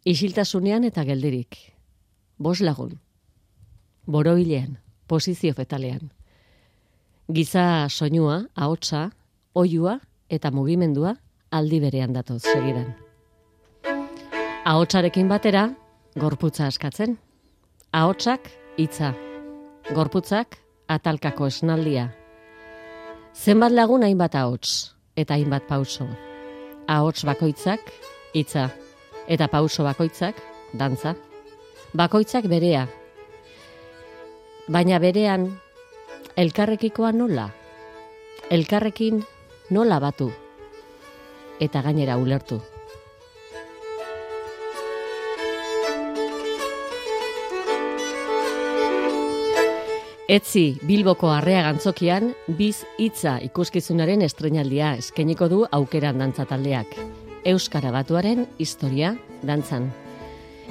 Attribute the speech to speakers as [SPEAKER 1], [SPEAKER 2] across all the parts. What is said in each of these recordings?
[SPEAKER 1] Isiltasunean eta geldirik. 5 lagun. Boroilean, posizio fetalean. Giza soinua, ahotsa, oihua eta mugimendua aldi berean datoz segidan. Ahotsarekin batera, gorputza askatzen. Ahotsak hitza. Gorputzak atalkako esnaldia. Zenbat lagun hainbat ahots eta hainbat pauso. Ahots bakoitzak hitza eta pauso bakoitzak dantza. Bakoitzak berea. Baina berean elkarrekikoa nola? Elkarrekin nola batu? Eta gainera ulertu. Etzi Bilboko Arrea Gantzokian Biz hitza ikuskizunaren estreinaldia eskainiko du Aukeran dantza taldeak. Euskara batuaren historia dantzan.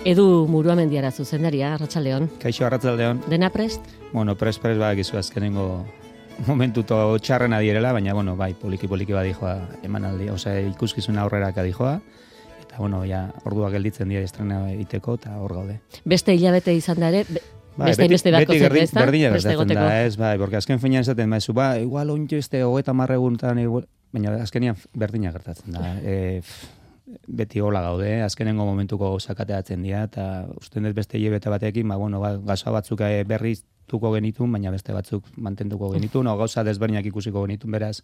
[SPEAKER 1] Edu Muruamendiara zuzendaria, arratsaldeon.
[SPEAKER 2] Kaixo, arratsaldeon.
[SPEAKER 1] Dena prest?
[SPEAKER 2] Bueno, prest badakizu azkenengo momentuto txarrena direla, baina bueno, bai, poliki badijoa emanaldi, osea ikuskizuna aurrera kadijoa. Eta bueno, ja ordua gelditzen dira estrena egiteko eta hor gaude.
[SPEAKER 1] Beste hilabete izan da ere, beste beharko zen, ez da?
[SPEAKER 2] Berdina gertatzen da, ez, bai, porque azken finean esaten maizu, igual ointxo 30 egunetan, baina azkenian berdina gertatzen da. Beti hola gaude, azkenengo momentuko gauzakateatzen dira, eta usten dut beste hilabete batekin, gauza batzuk berriztuko genitun, baina beste batzuk mantenduko genitun, gauza desberdinak ikusiko genitun, beraz,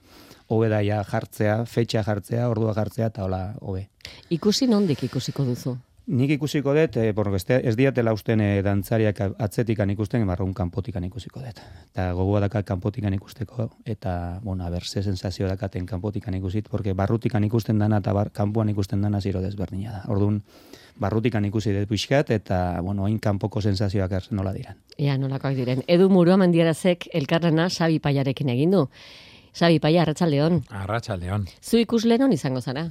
[SPEAKER 2] hobe da ja jartzea, fetxa jartzea, ordua jartzea, eta hola, hobe.
[SPEAKER 1] Ikusi nondik ikusiko duzu?
[SPEAKER 2] Nik ikusiko dut, ez diatela usten dantzariak atzetikan ikusten, barrun kanpotikan ikusiko dut. Eta gogoa dakat kanpotikan ikusteko, eta, bueno, ze sensazio dakaten kanpotikan ikusit, porque barrutikan ikusten dana eta kanpoan ikusten dana ziro desberdina da. Orduan, barrutikan ikusi dut pixkat, eta, bueno, hain kanpoko sensazioak nola diran.
[SPEAKER 1] Ia, nolakoak diren. Edu Muruamendiarazek elkarrena Xabi Paiarekin egin du. Xabi Paia, arratsaldeon.
[SPEAKER 3] Arratsaldeon.
[SPEAKER 1] Zu ikuslenon izango zara?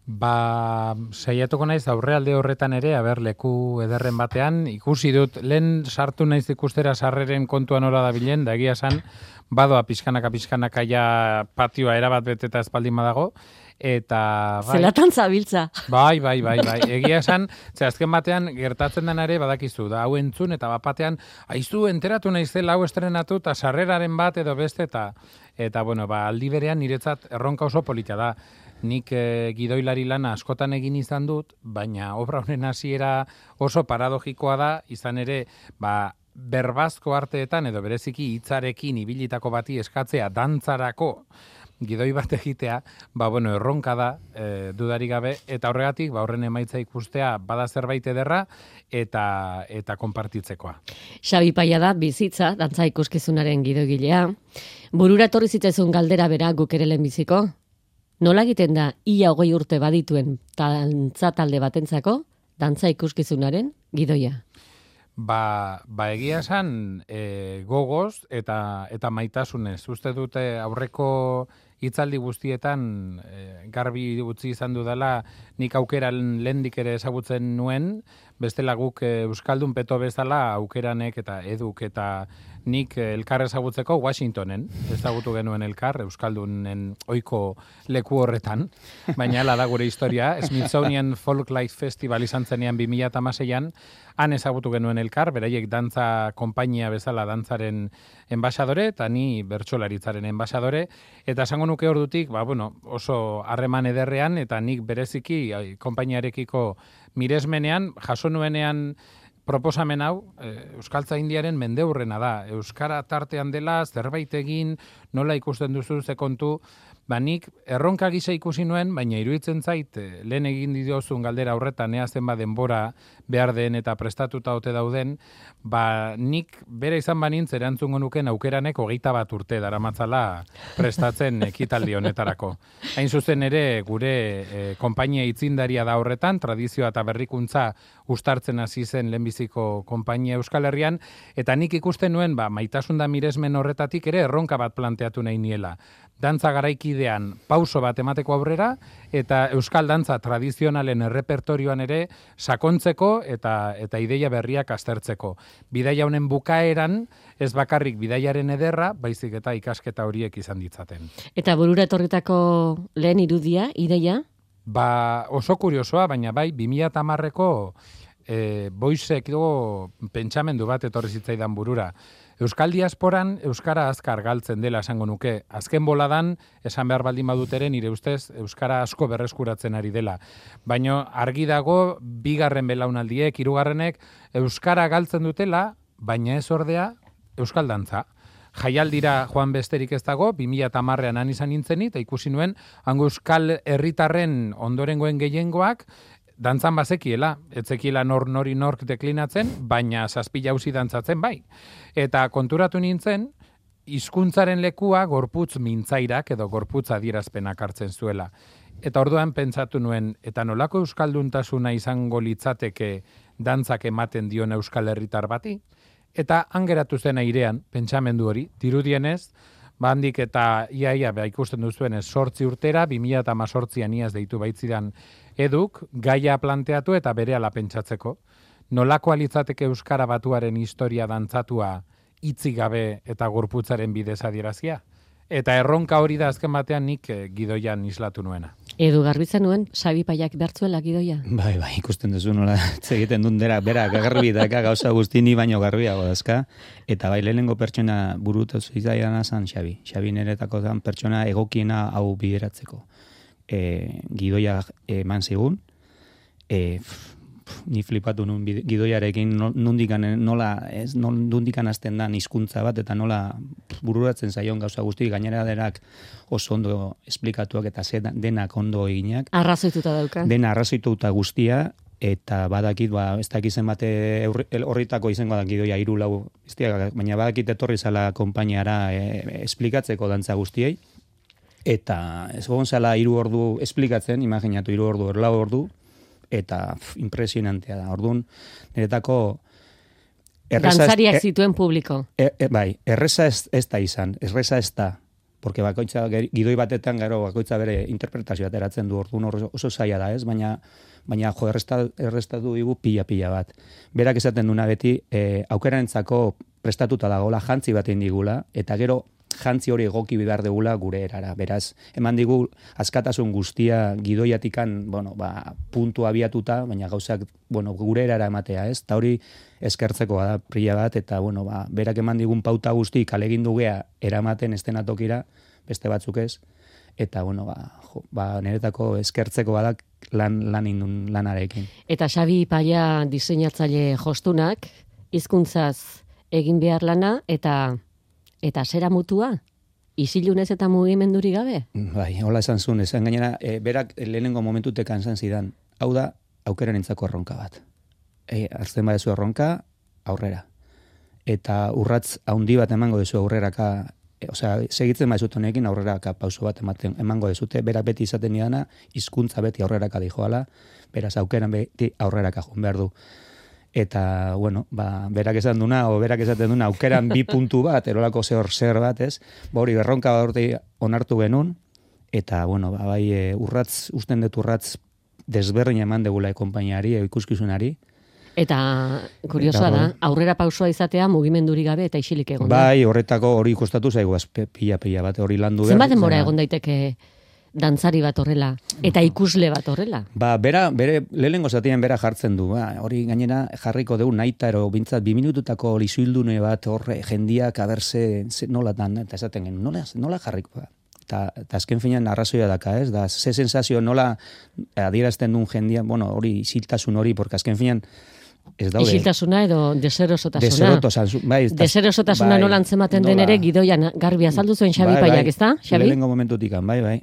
[SPEAKER 3] Saiatuko naiz aurrealde horretan ere, leku ederren batean, ikusi dut, lehen sartu naiz ikustera sarreren kontuan ora da bilen, da egia esan, badoa pixkanaka ja patioa erabat beteta espaldin badago, eta...
[SPEAKER 1] Zelatan zabiltza.
[SPEAKER 3] Bai, egia esan, azken batean gertatzen den ere badakizu, da hau entzun, eta batean, aizu enteratu naizela hau estrenatu, eta sarreraren bat edo beste, eta bueno, aldi berean niretzat erronka oso polita da. Nik gidoilari lana askotan egin izan dut, baina obra honen hasiera oso paradogikoa da, izan ere, berbazko arteetan edo bereziki hitzarekin ibilitako bati eskatzea dantzarako gidoi bat egitea, erronka da, dudarik gabe, eta horregatik, horren emaitza ikustea bada zerbait ederra eta konpartitzekoa.
[SPEAKER 1] Xabi Paia da bizitza, dantza ikuskizunaren gidoigilea. Burura etorri zitzaizun galdera bera guk ere lehenbiziko? Nola egiten da ia 20 urte badituen dantza talde batentzako dantza ikuskizunaren gidoia?
[SPEAKER 3] Egia esan gogoz eta maitasunez. Uste dute aurreko hitzaldi guztietan garbi utzi izan dudala nik aukeran lehendik ere ezagutzen nuen, bestela guk Euskaldun peto bezala aukeranek eta eduk eta nik elkar ezagutzeko Washingtonen ezagutu genuen elkar, Euskaldunen ohiko leku horretan, baina hala da gure historia, Smithsonian Folklife Festival izan zenean 2016an, han ezagutu genuen elkar, beraiek dantza konpainia bezala dantzaren enbaxadore, eta ni bertsolaritzaren enbaxadore, eta esango nuke ordutik, oso harreman ederrean, eta nik bereziki konpainiarekiko miresmenean, jaso nuenean proposamen hau, Euskaltzaindiaren mendeurrena da. Euskara tartean dela, zerbait egin, nola ikusten duzu ze kontu, nik erronka gisa ikusi nuen, baina iruditzen zait, lehen egin diozun galdera horretan, ea zenba denbora behar den eta prestatuta ote dauden, nik bere izan banintz erantzungo nuken aukeranek 21 urte daramatzala prestatzen ekitaldi honetarako. Hain zuzen ere, gure konpainia itzindaria da horretan, tradizioa eta berrikuntza uztartzen hasi zen lehenbiziko konpainia Euskal Herrian, eta nik ikusten nuen, maitasun da miresmen horretatik ere erronka bat planteatu nahi niela. Dantza garaikidean pauso bat emateko aurrera, eta euskal dantza tradizionalen errepertorioan ere sakontzeko eta ideia berriak aztertzeko. Bidaia honen bukaeran, ez bakarrik bidaiaren ederra, baizik eta ikasketa horiek izan ditzaten.
[SPEAKER 1] Eta burura etorritako lehen irudia, ideia,
[SPEAKER 3] oso kuriosoa, baina bai, 2010ko boizeko pentsamendu bat etorri zitzaidan burura. Euskal diasporan euskara azkar galtzen dela esango nuke. Azken boladan, esan behar baldin baduteren, nire ustez, euskara asko berreskuratzen ari dela. Baina argi dago, bigarren belaunaldiek, hirugarrenek, euskara galtzen dutela, baina ez ordea, euskal dantza. Jaialdira joan besterik ez dago, 2010an han izan nintzen eta ikusi nuen, hango euskal herritarren ondorengoen gehiengoak, dantzan bazekiela, etzekiela nori nork deklinatzen, baina zazpi jauzi dantzatzen bai. Eta konturatu nintzen, hizkuntzaren lekua gorputz mintzairak edo gorputz adierazpenak hartzen zuela. Eta orduan pentsatu nuen, eta nolako euskalduntasuna izango litzateke dantzak ematen dion euskal herritar bati? Eta hangeratu zen airean, pentsamendu hori, dirudienez, handik eta iaia ikusten duzuenez 8 urtera, 2018an iaz deitu baitzidan eduk, gaia planteatu eta berehala pentsatzeko. Nolakoa litzateke euskara batuaren historia dantzatua hitzik gabe eta gorputzaren bidez adierazia? Eta erronka hori da azken batean nik gidoian islatu nuena.
[SPEAKER 1] Edu garbitzen nuen, Xabi Paiak bertzuela gidoia?
[SPEAKER 2] Bai, ikusten duzu nola egiten duen berak garbi daka gauza guzti ni baino garbiago dazka. Eta bai, lehenengo pertsona burutu zitzaidan zan Xabi. Xabi niretako zan pertsona egokiena hau bideratzeko. Gidoia eman zigun, ni flipatu nun gidoiarekin nondikan hasten dan hizkuntza bat eta nola bururatzen zaion gauza guzti, gainera denak oso ondo esplikatuak eta denak ondo eginak.
[SPEAKER 1] Arrazoituta dauka.
[SPEAKER 2] Dena arrazoituta guztia, eta badakit, ez dakit zenbate horritako izango da gidoia 3-4, baina badakit etorri zala konpainiara esplikatzeko dantza guztiei, eta ez gogon zala 3 ordu esplikatzen, imaginatu 3 ordu, 4 ordu, eta impresionantea da. Orduan, niretako
[SPEAKER 1] dantzariak zituen publiko.
[SPEAKER 2] Bai, erreza ez da izan, erreza ez da, porque bakoitza gidoi batetan gero bakoitza bere interpretazioa ateratzen du, orduan oso zaila da, ez? Baina jo, errestatu digu pila bat. Berak esaten duna beti, aukeranentzako prestatuta dagoela, jantzi bat egin digula, eta gero jantzi hori egoki behar degula gure erara. Beraz, eman digu askatasun guztia gidoiatikan, puntu abiatuta, baina gauzak, gure erara ematea, ez? Ta hori eskertzeko da pila bat, eta, berak eman digun pauta guzti kalegin dugea eramaten estenatokira, beste batzuk ez, eta, niretako eskertzeko badak lan indun lanarekin.
[SPEAKER 1] Eta Xabi Paia diseinatzaile jostunak, hizkuntzaz egin behar lana, eta zera mutua? Isilunez eta mugimenduri gabe?
[SPEAKER 2] Bai, hola esan zuen, esan gainera, berak lehenengo momentutekan esan zidan, hau da, aukeranentzako erronka bat. Hartzen badezu erronka, aurrera. Eta urratz haundi bat emango dezu aurreraka, segitzen baizut honekin aurreraka pauso bat emango dezute, berak beti izaten nidana, hizkuntza beti aurreraka dijoala, beraz aukeran beti aurreraka joan behar du. Eta, berak esan duna, berak esaten duna, aukeran 2 puntu bat, erolako zer bat, ez? Hori, berronka bat onartu genuen, eta, bai, usten dut urratz desberdin eman degula konpainiari, ikuskizunari.
[SPEAKER 1] Eta, kuriosoa da, aurrera pausua izatea mugimenduri gabe eta isilik egon da.
[SPEAKER 2] Bai, horretako hori kostatu zaigu, pila bat, hori landu behar.
[SPEAKER 1] Zenbat denbora egon daiteke dantzari bat horrela, eta ikusle bat horrela?
[SPEAKER 2] Bere lehenengo zatien bera jartzen du, hori gainera jarriko dugu naita, ero bintzat 2 minututako lizuildune bat horre jendiak aberse nolatan, eta esaten gen, nola jarriko da? Eta azken finean arrazoia daka, ez? Da, ze sensazio nola adierazten duen jendia, hori isiltasun hori, porque azken finean ez daude.
[SPEAKER 1] Isiltasuna edo deserosotasuna. Deserosotasuna nola antzematen den ere gidoian garbi azaldu zuen Xabi Paiak, ez da?
[SPEAKER 2] Lehenengo momentutikan, bai.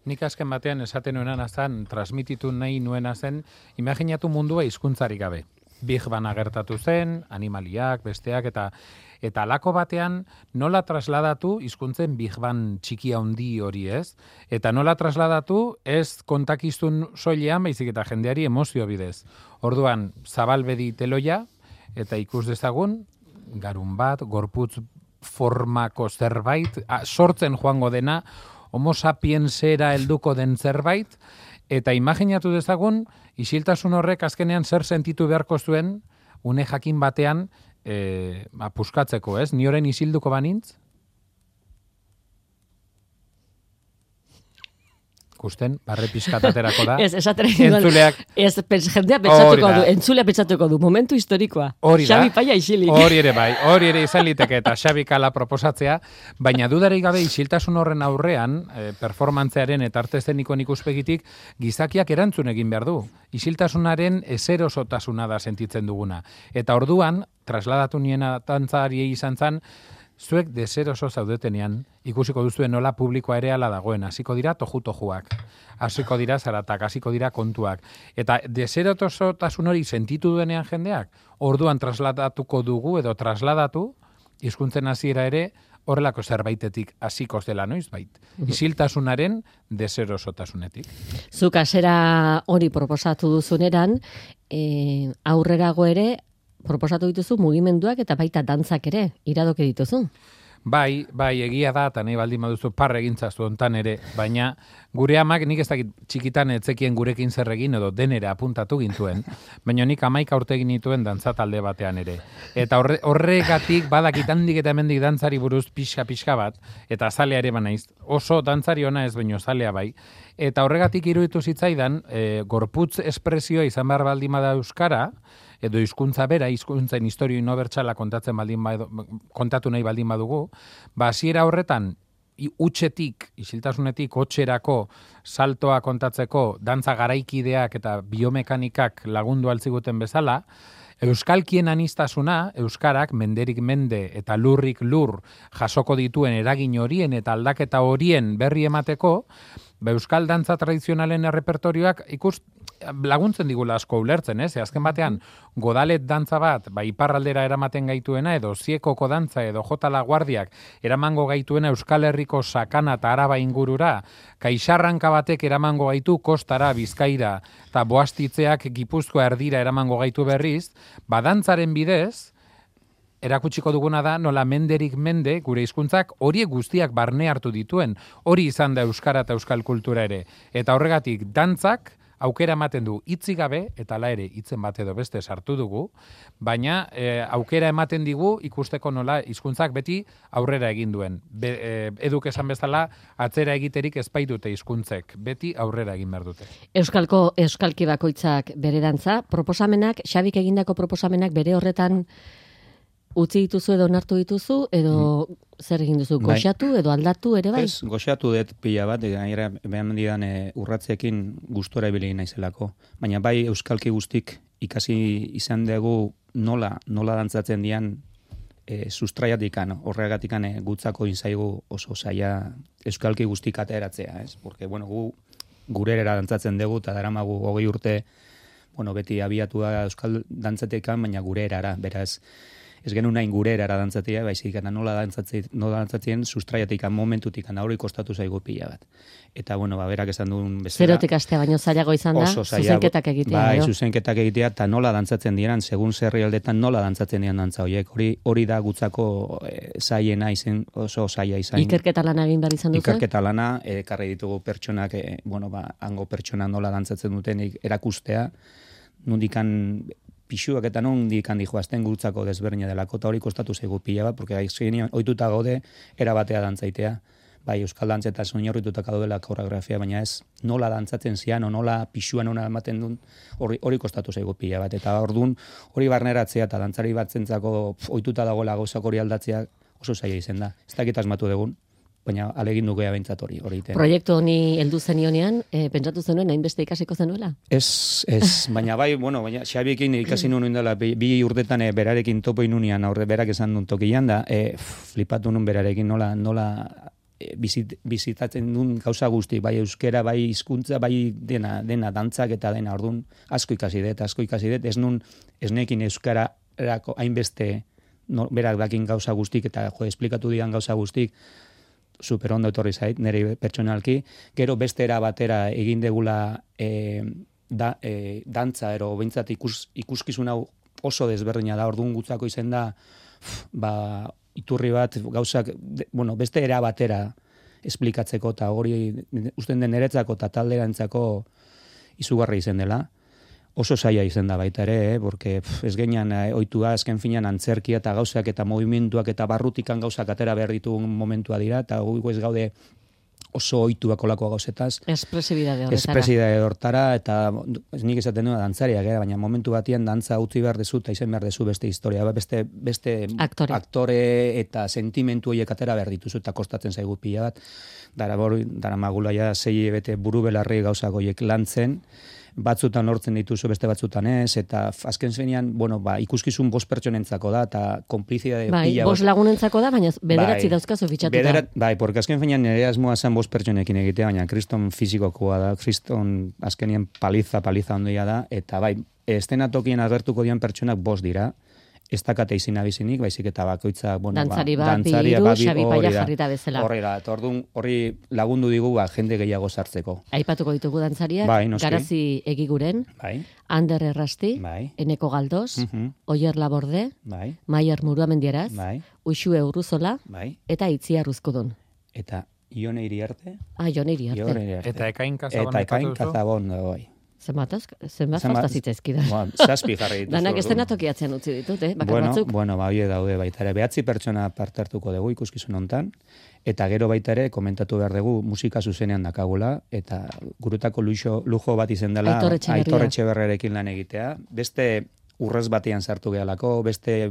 [SPEAKER 3] Nik azken batean esaten nuena zen, transmititu nahi nuena zen, imaginatu mundua hizkuntzarik gabe. Big Bana gertatu zen, animaliak, besteak, eta alako batean nola trasladatu hizkuntzen Big Bang txiki handi hori, ez? Eta nola trasladatu ez kontakizun soilean, baizik eta jendeari emozio bidez. Orduan, zabalbedi teloia, eta ikus dezagun, garun bat, gorputz formako zerbait, sortzen joango dena, homo sapiensera helduko den zerbait, eta imaginatu dezagun, isiltasun horrek azkenean zer sentitu beharko zuen, une jakin batean, puskatzeko, ez? Ni oren isilduko banintz? Kusten, barre pixkat aterako da.
[SPEAKER 1] Ez, esatera
[SPEAKER 3] Entzuleak...
[SPEAKER 1] jendea pentsatuko du, entzulea pentsatuko du, momentu historikoa.
[SPEAKER 3] Hori da.
[SPEAKER 1] Xabi Paia isilik.
[SPEAKER 3] Hori ere izan liteke eta Xabi Kala proposatzea, baina dudarik gabe isiltasun horren aurrean, performantzearen eta arte eszenikoen ikuspegitik, gizakiak erantzun egin behar du. Isiltasunaren ezerosotasuna da sentitzen duguna. Eta orduan, trasladatu niena tantzariei izan zan, zuek deseroso zaudetenean, ikusiko duzuen nola publikoa ere ala dagoen, hasiko dira tojuak, hasiko dira zaratak, hasiko dira kontuak. Eta deserosotasun hori sentitu duenean jendeak, orduan trasladatuko dugu edo trasladatu, hizkuntzen hasiera ere, horrelako zerbaitetik hasiko dela noizbait. Isiltasunaren deserosotasunetik.
[SPEAKER 1] Zuk hasera hori proposatu duzuneran, aurrerago ere, proposatu dituzu mugimenduak eta baita dantzak ere, iradoke dituzu.
[SPEAKER 3] Bai, egia da, eta nahi baldin baduzu parre egintzazu ontan ere, baina gure amak nik ez dakit txikitan etzekien gurekin zer egin edo denera apuntatu gintuen, baina nik 11 urte egin nituen dantza talde batean ere. Eta horregatik badakit handik eta hemendik dantzari buruz pixka bat, eta zalea ere banaiz, oso dantzari ona ez baino zalea bai, eta horregatik iruditu zitzaidan, gorputz espresioa izan behar baldin bada euskara, edo hizkuntza bera, hizkuntzen historio inobertsala kontatu nahi baldin badugu, hasiera horretan isiltasunetik hotxerako saltoa kontatzeko dantza garaikideak eta biomekanikak lagundu altziguten bezala, euskalkien anistasuna, euskarak menderik mende eta lurrik lur jasoko dituen eragin horien eta aldaketa horien berri emateko, euskal dantza tradizionalen errepertorioak laguntzen digula asko ulertzen, ez? Azken batean, godalet dantza bat, iparraldera eramaten gaituena, edo ziekoko dantza, edo jotala guardiak, eramango gaituena Euskal Herriko sakana eta araba ingurura, kaixarranka batek eramango gaitu kostara, bizkaira, eta boastitzeak Gipuzkoa erdira eramango gaitu berriz, dantzaren bidez, erakutsiko duguna da, nola menderik mende, gure hizkuntzak horiek guztiak barne hartu dituen, hori izan da euskara eta euskal kultura ere. Eta horregatik, dantzak, aukera ematen du hitzi gabe, eta hala ere hitzen bat edo beste sartu dugu, baina aukera ematen digu ikusteko nola hizkuntzak beti aurrera egin duen. Eduk esan bezala, atzera egiterik ez baitute hizkuntzek, beti aurrera egin behar dute.
[SPEAKER 1] Euskalki bakoitzak bere dantza, proposamenak, Xabik egindako proposamenak bere horretan utzi dituzu edo onartu dituzu, edo zer egin duzu, goxatu edo aldatu ere bai?
[SPEAKER 2] Ez, goxatu dut pila bat, gainera behan didan urratzeekin gustora ibili naizelako. Baina bai euskalki guztik ikasi izan dugu nola dantzatzen dian sustraiatikan, horregatikan gutzako inzaigu oso zaila euskalki guztik ateratzea, ez? Porque, bueno, gurera dantzatzen dugu, eta daramagu 20 urte, bueno, beti abiatu da euskal dantzatekan, baina gurerara, beraz, ez genuen nahin gure erara dantzatia, baizik eta nola dantzatzen sustraiatikan, momentutikan, hori kostatu zaigu pila bat. Eta, bueno, berak esan duen bezala.
[SPEAKER 1] Zerotik astea baino zailago izan da, zuzenketak egitea.
[SPEAKER 2] Bai, zuzenketak egitea, eta nola dantzatzen diran, segun zerri aldetan nola dantzatzen diran dantza horiek. Hori da gutzako zaiena izen, oso zaila izan.
[SPEAKER 1] Ikerketa lana egin behar izan duzu?
[SPEAKER 2] Ikerketa lana, karri ditugu pertsonak, hango pertsona nola dantzatzen duten erakustea, nundikan pixuak eta nondik handi joazten gurutzako desberdina delako, eta hori kostatu zaigu pila bat, porque ohituta gaude erabatea dantzaitea, bai euskal dantzeta oinarrituta gaudela koreografia, baina ez nola dantzatzen zian, o nola pixua nona ematen duen, hori kostatu zaigu pila bat, eta orduan hori barneratzea eta dantzari bat zentzako ohituta dagoela gauzak hori aldatzea oso zaila izen da. Ez dakit asmatu dugun, baina alegin dugea behintzat hori iten.
[SPEAKER 1] Proiektu honi heldu zenionean, pentsatu zenuen, hainbeste ikasiko zenuela?
[SPEAKER 2] Ez, baina bai, baina Xabiekin ikasi nuen dela, bi urtetan berarekin topo inunean, berak esan duen tokian da, flipatu nun berarekin nola bizitatzen duen gauza guzti, bai euskera, bai hizkuntza, bai dena dantzak eta dena, orduan asko ikasi dut, ez nekin euskararako hainbeste berak dakin gauza guztik, eta esplikatu dian gauza guztik, super ondo etorri zait, nire pertsonalki, gero beste era batera egin degula dantza, ero bintzat ikuskizun hau oso desberdina da, orduan gutzako izen da, iturri bat gauzak, beste era batera esplikatzeko, eta hori usten den niretzako eta talderantzako izugarri izen dela. Oso zaila izen da baita ere, porque ez genian ohitua azken finan antzerkia eta gauzak eta movimentuak eta barrutikan gauzak atera behar ditugun momentua dira, eta guiko ez gaude oso ohituak olako gauzetaz.
[SPEAKER 1] Espresibidade
[SPEAKER 2] hortara, eta nik esaten duena dantzariak, baina momentu batian dantza utzi behar dezu, eta izan behar dezu beste historia, beste aktore eta sentimentu horiek atera behar dituzu, eta kostatzen zaigu pila bat. Dara magula ja 6 bete buru belarri gauzak horiek lantzen, batzutan lortzen dituzu, beste batzutan ez, eta azken zenean, ikuskizun 5 pertsonentzako da, eta konplizidade pila bat.
[SPEAKER 1] 5 lagunentzako da, baina bederatzi dauzkazu fitxatuta.
[SPEAKER 2] Porque azken zenean nire asmoa zen 5 pertsonekin egitea, baina kriston fizikokoa da, kriston azkenien paliza ondoia da, eta estenatokien agertuko dian pertsonak 5 dira, ez dakate izin abizinik, baizik eta bakoitza,
[SPEAKER 1] dantzari bat, biru, Xabi Paia jarrita bezala.
[SPEAKER 2] Horrela, eta hori lagundu digu jende gehiago sartzeko.
[SPEAKER 1] Aipatuko ditugu dantzariak, Garazi Egiguren, Ander Errasti, Eneko Galdos, Oier Laborde, Maier Muruamendieraz, Uxue Urruzola, eta Itziar Uzkudun.
[SPEAKER 2] Eta Ione Iriarte.
[SPEAKER 1] Ione Iriarte.
[SPEAKER 3] Eta Ekain Kazabon,
[SPEAKER 1] Zenbat falta zitzaizkida.
[SPEAKER 2] Zazpi jarri dituzu.
[SPEAKER 1] Danak estenatokiatzen utzi ditut, bakar batzuk.
[SPEAKER 2] Hori daude baita ere. 9 pertsona parte hartuko dugu ikuskizun hontan, eta gero baita ere komentatu behar dugu musika zuzenean dakagula, eta gurutako lujo bat izen dela Aitor Etxeberriarekin lan egitea. Beste urrez batean sartu gehalako, beste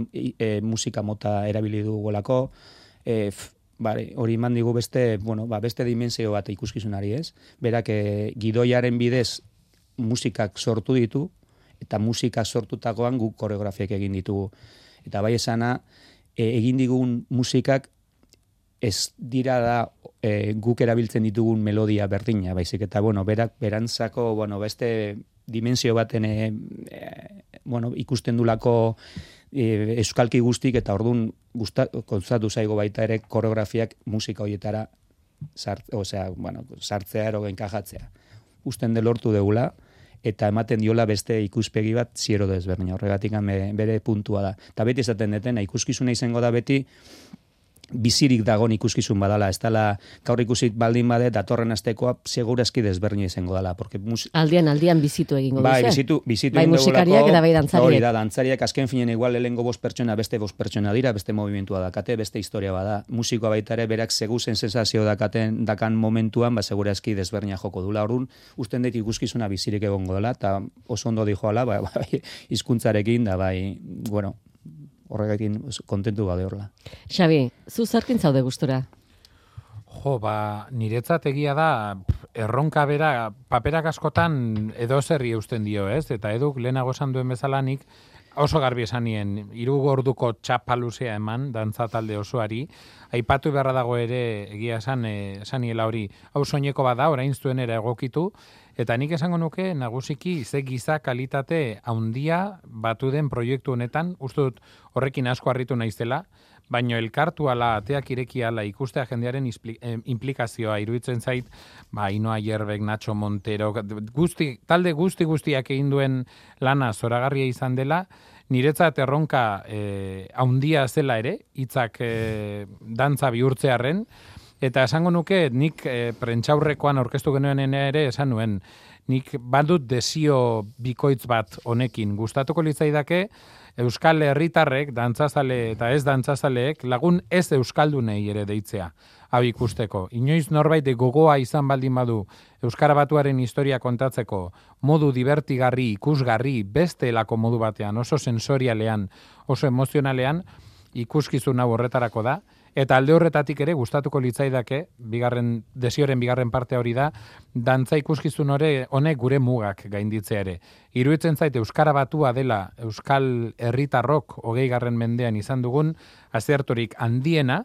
[SPEAKER 2] musika mota erabili dugulako, hori eman digu beste dimensio bat ikuskizunari ez. Berak gidoiaren bidez musikak sortu ditu, eta musika sortutakoan guk koreografiak egin ditugu. Eta bai esana, egin digun musikak ez dira da guk erabiltzen ditugun melodia berdina, baizik eta, berak berantzako, beste dimensio baten ikusten dulako euskalki guztik, eta orduan kontzatu zaigo baita ere koreografiak musika horietara sartzea ero enkajatzea. Usten de lortu deula, eta ematen diola beste ikuspegi bat ziero desberdina. Horregatik bere puntua da. Eta beti esaten deten, ikuskizuna izango da beti bizirik dagon ikuskizun badala. Ez dala, gaur ikusit baldin bade, datorren astekoa segurazki desberdina izango dala.
[SPEAKER 1] Aldian bizitu egingo duzu.
[SPEAKER 2] Bizitu
[SPEAKER 1] bai musikariak eta bai dantzariak.
[SPEAKER 2] Hori da, dantzariak azken finen igual lehengo 5 pertsona, beste 5 pertsona dira, beste movimentua dakate, beste historia bada. Musikoa baita ere, berak seguzen sensazio dakan momentuan, segurazki desberdina joko dula. Orduan, usten dut ikuskizuna bizirik egongo dela, eta oso ondo dijoala, hizkuntzarekin, da horregatik kontentu gaude horrela.
[SPEAKER 1] Xabi, zu zerkin zaude gustura?
[SPEAKER 3] Niretzat egia da, erronka bera, paperak askotan edo zerri eusten dio, ez? Eta eduk lehenago esan duen bezalanik, oso garbi esanien, 3 orduko txapaluzea eman, dantza talde osoari, aipatu beharra dago ere, egia esaniela hori, hau soineko bada, orain zuen ere egokitu, eta nik esango nuke nagusiki ze giza kalitate handia batu den proiektu honetan, uste dut horrekin asko harritu naizela, baino elkartu ala, ateak ireki ala ikustea jendearen implikazioa iruditzen zait, Inoa Jerbek, Nacho Montero, talde guztiak egin duen lana zoragarria izan dela, niretzat erronka handia zela ere, hitzak dantza bihurtzearren, eta esango nuke, nik prentxaurrekoan aurkeztu genuen ere esan nuen, nik badut desio bikoitz bat honekin. Gustatuko litzaidake, Euskal Herritarrek, dantzazale eta ez dantzazaleek, lagun ez euskaldunei ere deitzea, hau ikusteko. Inoiz norbait gogoa izan baldin badu Euskara Batuaren historia kontatzeko modu divertigarri, ikusgarri, besteelako modu batean, oso sensorialean, oso emozionalean, ikuskizun hau horretarako da, eta alde horretatik ere gustatuko litzaidake, desioren bigarren parte hori da, dantza ikuskizun honek gure mugak gainditzea ere. Iruditzen zait Euskara Batua dela Euskal Herritarrok 20. mendean izan dugun, azertorik handiena,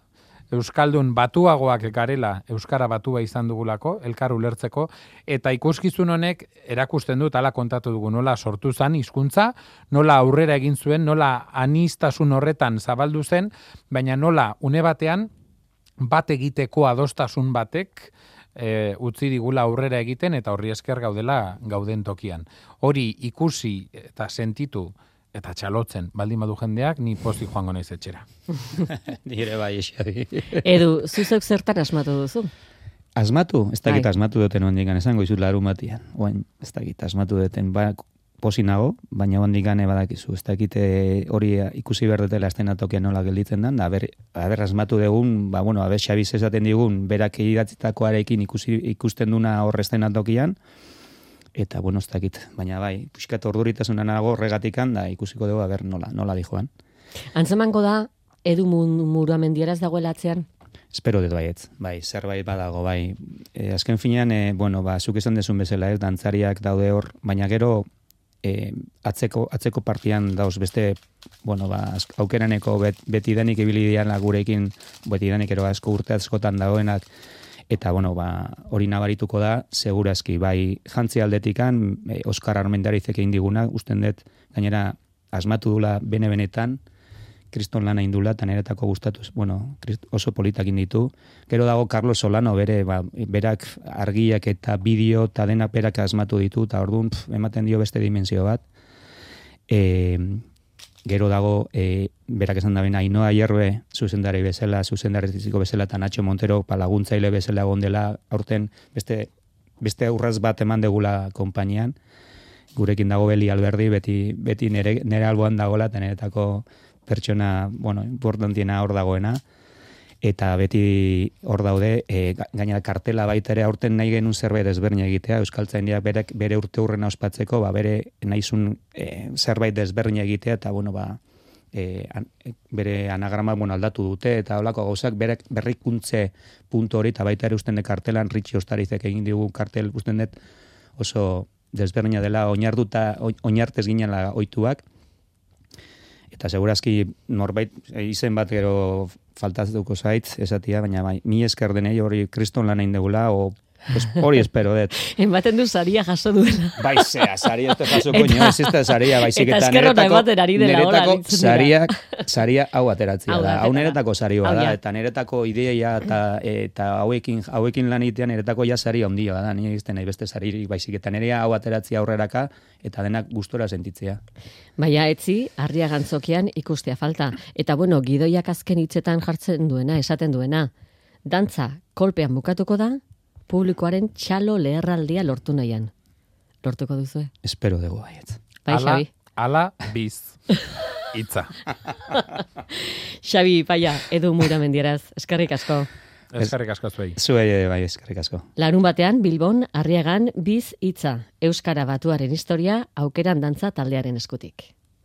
[SPEAKER 3] Euskaldun batuagoak garela Euskara Batua izan dugulako, elkar ulertzeko, eta ikuskizun honek erakusten dut ala kontatu dugu, nola sortu zen hizkuntza, nola aurrera egin zuen, nola aniztasun horretan zabaldu zen, baina nola une batean bat egiteko adostasun batek utzi digula aurrera egiten eta horri esker gauden tokian. Hori ikusi eta sentitu eta txalotzen, baldin badu jendeak, ni pozik joango naiz etxera.
[SPEAKER 2] Nire bai, Xabi.
[SPEAKER 1] Edu, zuzok zertan asmatu duzu?
[SPEAKER 2] Asmatu? Ez dakit asmatu duten ondikan, esango izut larun batian. Ez dakit asmatu duten. posi nago, baina hondik gane badakizu, ez dakite hori ikusi behar dutela estenatokian nola gelditzen den, da aber asmatu dugun, bueno, Xabiz esaten digun, berak idatzitakoarekin ikusten duna hor estenatokian, eta, bueno, ez dakit, baina bai, pixkat orduritasuna nago horregatikan, da ikusiko dugu, aber nola dijoan.
[SPEAKER 1] Antzemango da, Edu Muramendiaraz dagoela atzean?
[SPEAKER 2] Espero dut baietz, bai, zerbait badago, bai. Azken finean, bueno, zuk esan dezun bezala, dantzariak daude hor, baina gero atzeko partian dauz beste, bueno, aukeraneko betidanik ibili dian gurekin, betidanik ero asko urte askotan dagoenak, eta, bueno, hori nabarituko da, segurazki, bai, jantzi aldetikan, Oskar Armendarizek egin diguna, usten dut, gainera, asmatu dula bene-benetan, kriston lana indula, eta niretako gustatuz, bueno, oso politakin ditu. Gero dago Carlos Solano, berak argiak eta bideo eta denak berak asmatu ditu, eta orduan ematen dio beste dimensio bat. Gero dago, berak esan da bena, Ainhoa Hierbe zuzendari bezala, eta Nacho Montero laguntzaile bezala gondela, aurten beste aurraz bat eman degula konpainian. Gurekin dago Beli Alberdi, beti nere alboan dagoela, eta niretako pertsona, bueno, importantiena hor dagoena, eta beti hor daude, gainera kartela baita ere aurten nahi genuen zerbait desberdina egitea, Euskaltzaindiak bere urte hurrena ospatzeko, bere nahizun zerbait desberdina egitea, eta, bueno, bere anagrama, bueno, aldatu dute, eta holako gauzak, berrikuntze puntu hori, eta baita ere usten de kartelan, Ritxi Ostarizek egin digu kartel, usten dut oso desberdina dela, oinartez ginela ohituak, eta segurazki norbait izen bat gero faltatuko zait, esatia, baina bai, mi esker denei hori kriston lan egin degula, hori espero dut.
[SPEAKER 1] Ematen du saria jaso duela.
[SPEAKER 2] Bai, saria ez jasoko nio, ez ez saria, baizik
[SPEAKER 1] eta niretako
[SPEAKER 2] saria hau ateratzea da. Hau niretako sarioa da, eta niretako ideia eta hauekin lan egitean niretako ja saria ondia da, nire izten nahi beste saririk, baizik eta nirea hau ateratzea aurreraka, eta denak gustora sentitzea.
[SPEAKER 1] Baina etzi, harria gantzokian ikustea falta. Eta bueno, gidoiak azken hitzetan jartzen duena, esaten duena. Dantza kolpean bukatuko da, publikoaren txalo leherraldia lortu nahian. Lortuko duzu?
[SPEAKER 2] Espero dugu baiet.
[SPEAKER 1] Bai, Xabi.
[SPEAKER 3] Ala biz. Itza.
[SPEAKER 1] Xabi, paia, Edu Muramendiaraz. Eskerrik asko.
[SPEAKER 3] Eskerrik asko zuei.
[SPEAKER 2] Zuei bai, eskerrik asko.
[SPEAKER 1] Larun batean, Bilbon, Arriagan, biz hitza. Euskara Batuaren historia, aukeran dantza taldearen eskutik.